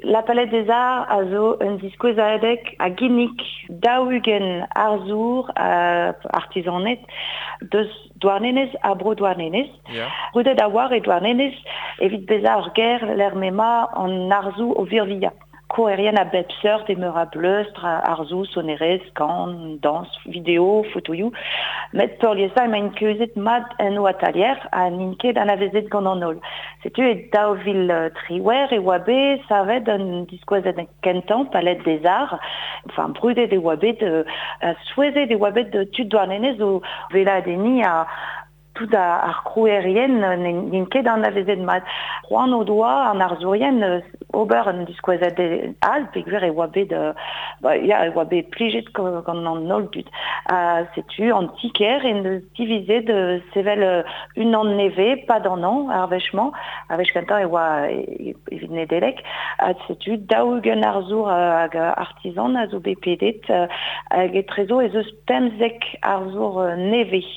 La Palette des Arts a zo un diskouezadeg a ginnig 40 arzour artizanet deus Douarnenez ha bro Douarnenez. Ya. Brudet a oar e Douarnenez evit bezañ ur gêr lec'h m'emañ an arzoù o virvilhañ. Krouerien a bep seurt e meur a bleustr, arzoù, sonerezh, kan, dañs, video, fotoioù. Met peurliesañ emaint keuzet mat en o atalier ha n'int ket anavezet gant an holl. Setu e 2018 e oa bet savet un diskouezadeg kentañ, Palette des Arts. Enfin, brudet e oa bet, ha souezhet e oa bet tud Douarnenez o weladenniñ ha tout ar krouerien n'int ket anavezet mat. C'hoant o doa an arzourien ober un diskouezadeg all peogwir e oa bet ba, ya, e oa bet plijet gant an holl dud. Ha setu an ti-kêr en deus divizet sevel unan nevez, pad an hañv ar wech-mañ. Ar wech kentañ e oa evit Nedeleg. Ha setu 40 arzour hag artizan a zo bet pedet hag etrezo ez eus 15 arzour nevez.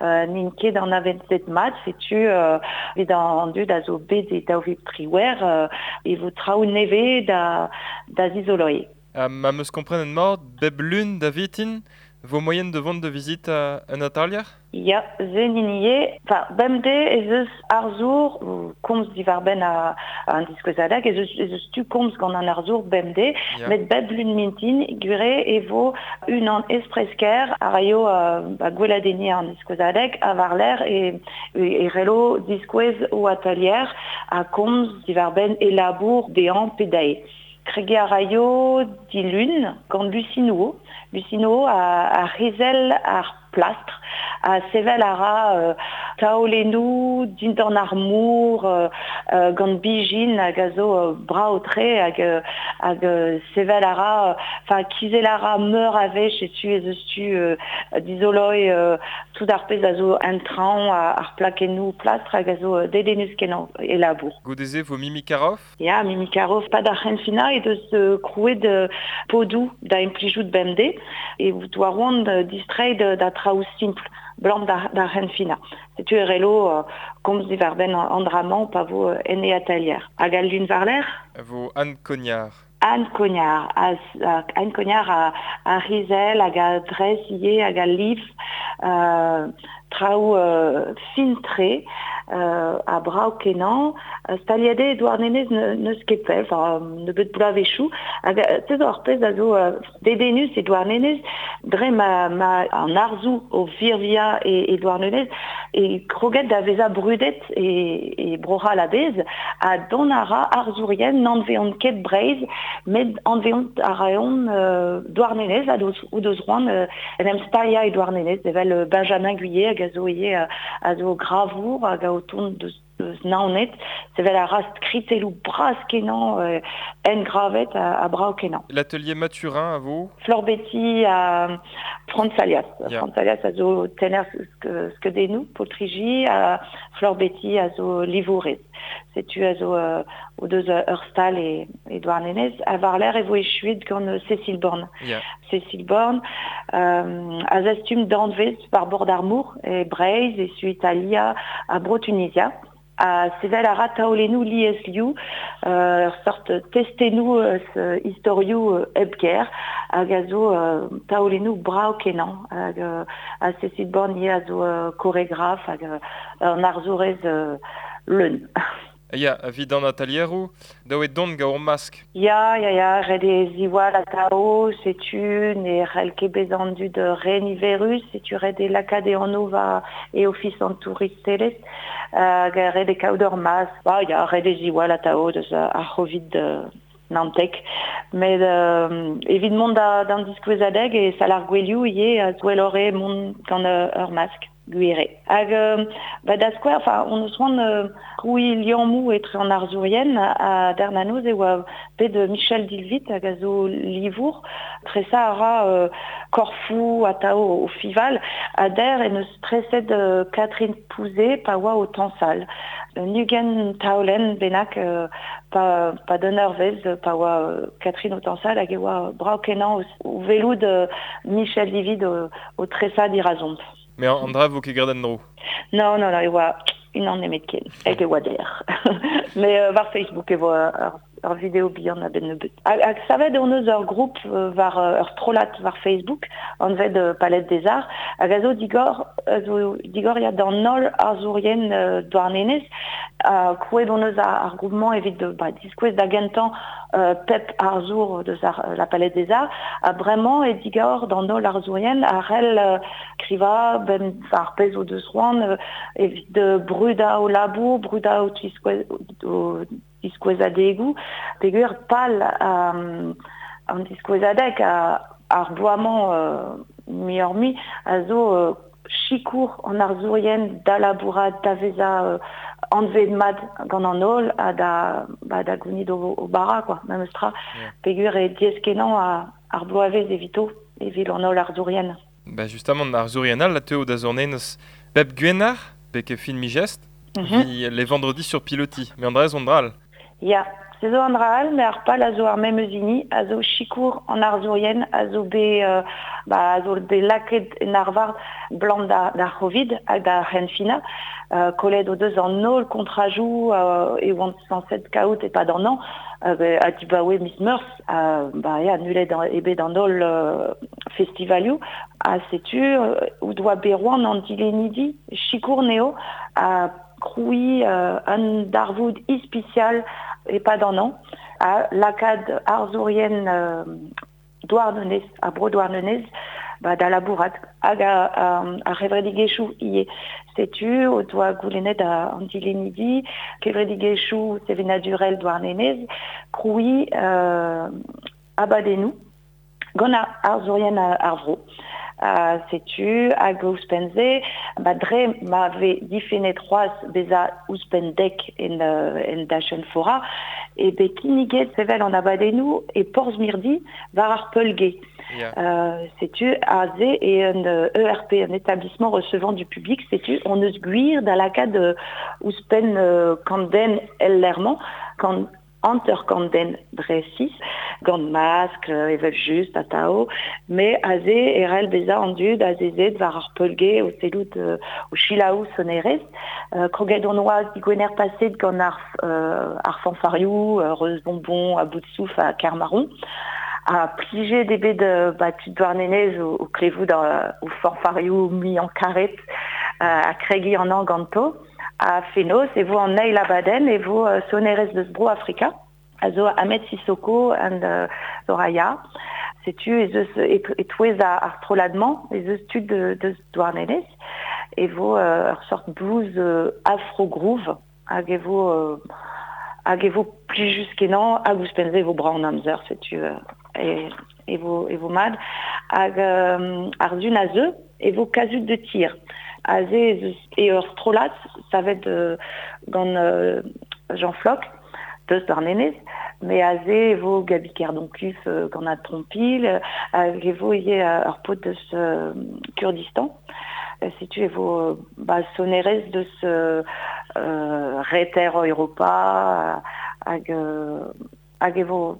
N'int ket anavezet mat, setu evit an dud a zo bet e 2018 e vo traoù nevez da da zizoloiñ. Ha ma 'm eus komprenet mat, bep lun da vintin vo moaien da vont da vizitañ un atalier? Ya, se 'n hini eo. Enfin, bemdez ez eus arzour o komz diwar-benn an diskouezadeg, ez eus ez eus tu komz gant an arzour bemdez, met bep lun mintin, gwir eo e vo unan espresker a raio ba, gweladenniñ an diskouezadeg ha war-lerc'h e, e c'hello diskouez o atalier ha komz diwar-benn e labour dezhañ pe dezhe. Kregiñ a raio dilun gant Lucie Nouveau. Lucie Nouveau a, a c'hizel ar plastr ha sevel a ra taolennoù dindan ar mor gant bijin hag a zo brav-tre hag hag sevel a ra enfin kizel a ra meur a wech setu ez eus tu dizoloiñ tout ar pezh a zo en traoñ ar plakennoù plastr hag a zo dedennus-kenañ e labour. Goude-se vo Mimi Karoff? Ya, Mimi Karoff, pad ar c'henfinañ he deus krouet podoù da implijout bemdez e doa c'hoant distreiñ da traoù simpl 'blam d'ar c'henfinañ. Setu e relo komz diwar-benn an dra-mañ pa vo en e atalier. Hag al lun war-lerc'h? E vo Anne Cognard. Anne Cognard, Anne Cognard a rizell hag a dres ivez hag a liv traoù fin-tre ha brav-kenañ. Staliet eo e Douarnenez n'eus ket pell, enfin nebeut bloavezhioù. Hag se zo ar pezh a zo dedennus e Douarnenez, dre ma, ma an arzoù o virviañ e, e Douarnenez, e kroget da vezañ brudet e, e Bro-C'hall a-bezh, ha dont a ra arzourien n'anveont ket Breizh, met anveont a raont Douarnenez ha o deus c'hoant en em staliañ e Douarnenez, evel Benjamin Guillet hag a zo ivez a zo gravour hag a o tont deus deus Naoned, sevel a ra skritelloù bras-kenañ engravet ha brav-kenañ. L'atelier Mathurin a vo? Fleur Betty ha Franz Alias. Ya. Franz Alias a zo tenner skeudennoù, poltriji, ha Fleur Betty a zo livourez. Setu a zo o deus ur stal e, e Douarnenez. Ha war-lerc'h e vo echuet gant Cécile Born. Ya. Cécile Born a zastum danvez war bord ar mor e Breizh, e Su Italia ha Bro-Tunizia. Ha sevel a ra taolennoù liesliv, ur seurt testennoù eus istorioù hep ger hag a zo taolennoù brav-kenañ. Hag ha Cécile Born ivez a zo koregraf hag un arzourez leun. Ya, evit an atalieroù, dav eo dont gant ur mask. Ya, ya, ya, ret eo ziwall atav, setu ne c'hell ket bezañ an dud re niverus, setu ret eo lakaat e anv war e ofis an touristelezh, hag ret eo kaout ur mask. Ba, ya, ret eo ziwall atav deus ar C'hovid 19. Met evit mont d'an diskouezadeg e sal ar gouelioù ivez, gwelloc'h eo mont gant ur mask. Gwir eo. Hag ba da skouer, enfin, on eus c'hoant krouiñ liammoù etre an arzourien ha dernanoz e oa bet Michel Dilvit hag a zo livour. Tresañ a ra korfoù atav o fival ha der en deus treset Catherine Pouzet pa oa o tañsal. Un 20 taolenn bennak pa, pa d'un eurvezh pa oa Catherine o tañsal hag e oa brav-kenañ o welout Michel Dilvit o tresañ dirazomp. Mais an dra vo ket graet en-dro. Non, non, non, e oa unan nemetken, hag e oa der. Mais war Facebook e vo ur, ur video bihan a-benn nebeut. Hag savet hon eus ur group war ur strollad war Facebook, anvet Palette des Arts, hag a zo digor ya d'an holl arzourien Douarnenez, krouet hon eus ar groupement evit diskouez da gentañ pep arzour deus la Palette des Arts, ha bremañ e digor d'an holl arzourien a c'hell kriva ben ar pezh o deus c'hoant evit brudañ o labour, brudañ o diskouezadegoù, peogwir pal an diskouezadeg ar bloaz-mañ muioc'h-mui a zo sikour an arzourien da labourat da vezañ anvet mat gant an holl ha da gounit o bara quoi, memes tra. Peogwir e diaes-kenañ ar bloavezh evito, evit an holl arzourien. Ba justement, arzourien all a teuo da Zurnenez bep gwener, bek fin mi-gest, les vendredis sur pilotis. Mais an dra zo an dra all. Ya, se zo an dra all, mais ar pal a zo ar memes hini, a zo sikour an arzourien, a zo bet lakaet en arvar blant d'ar Covid hag d'ar c'henfinañ, kollet o deus an holl kontrajoù e oant sañset kaout e-pad an hañv, ha dibaoe miz Meurzh, ya, nullet eo bet an holl festivalioù, ha setu o doa bet roan an dilennidi sikour neo ha krouiñ un darvoud ispisial e-pad an hañv, ha lakaat arzourien Douarnenez, ar bro Douarnenez, da labourat hag ar c'hevredigezhioù ivez. Setu o doa goulennet an dilennidi, kevredigezhioù sevenadurel Douarnenez, krouiñ abadennoù gant arzourien ar vro. Setu hag ouzhpenn-se, dre ma vez difennet c'hoazh bezañ ouzhpenn dek en dachenn fora, e bet kinniget sevel an abadennoù e Porzh-Mirdi war ar Peulgay. Setu aze e un ERP, un établissement recevant du public, setu on eus gwir da lakaat ouzhpenn kant den el lec'h-mañ, kant hanter-kant den dre 6, gant maskl, evel just, atao, mais aze e c'hell bezañ an dud azezet war ar Peulgay o sellout o selaou sonerezh. Kroget hon oa digwener paset gant ar fanfarioù, Reuz Bonbon, a bout souf ha Kermaron. Ha plijet eo bet tud Douarnenez o klevout o fanfarioù muiañ karet ha kregiñ an hañv ganto. Ha fenoz e vo an eil abadenn e vo sonerezh deus Bro Afrika, a zo Ahmed Sissoko and Soraya. Setu ez eus e-touez ar strollad-mañ, ez eus tud deus Douarnenez, e vo ur sort blues afro-groove, hag e vo plijus-kenañ, hag ouzhpenn-se e vo brav an amzer, setu e vo mat. Hag ar sun a zeu e vo Kazut de tir. Aze e ur strollad savet gant Jean Floch, deus Douarnenez, mais aze e vo Gabi Kerdoncuf gant an trompilh, hag e vo ivez ur paotr deus Kurdistan. Setu e vo sonerezh deus reter Europa, hag e vo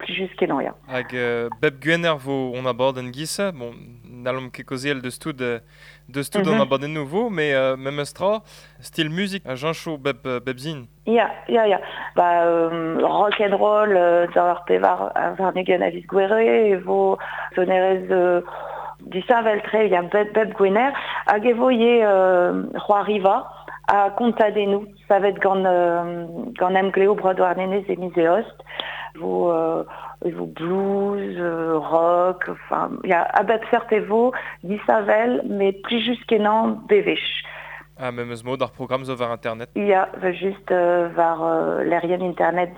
plijus-kenañ, ya. Hag bep gwener vo on abadenn giz, bon, n'hallomp ket kaozeal deus tout an abadennoù vo, mais memes tra, style musique a jañcho bep zin. Ya. Rock and roll d'ar ar pevar warn-ugent a viz Gouere, e vo sonerezh disheñvel-tre, ya, bep gwener, hag e vo ivez c'hoariva ha kontadennoù savet gant Emgleo Bro Douarnenez e miz Eost. Vo blues, rock, enfin, ya, a bep seurt e vo, disheñvel, mais plijus-kenañ bewech. Ah, memes mod ar programm zo war internet. Ya, just war lec'hienn internet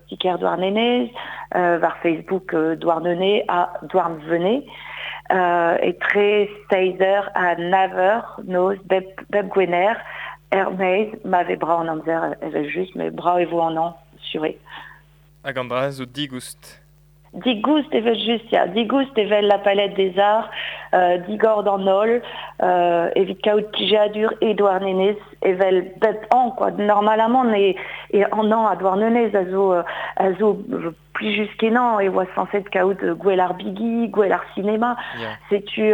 ti-kêr Douarnenez, war Facebook Douarnenez ha Douarnvenez, etre 6h ha 9h noz bep gwener, er-maez, ma vez brav an amzer evel just, mais brav e vo an hañv, sur eo. Hag an dra zo digoust. Digoust evel just, ya. Digoust evel la Palette des Arts, digor d'an holl, evit kaout plijadur e Douarnenez, evel bep an, quoi. Normalement, e an an a Douarnenez a zo plijus-kenañ, e oa sañset kaout gwell ar bigi, gwell ar sinema. Yeah. Setu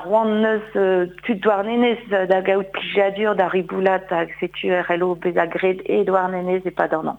roan neus tud Douarnenez da gaout plijadur da riboulat, hag setu e c'hello bezañ graet e Douarnenez e-pad an an.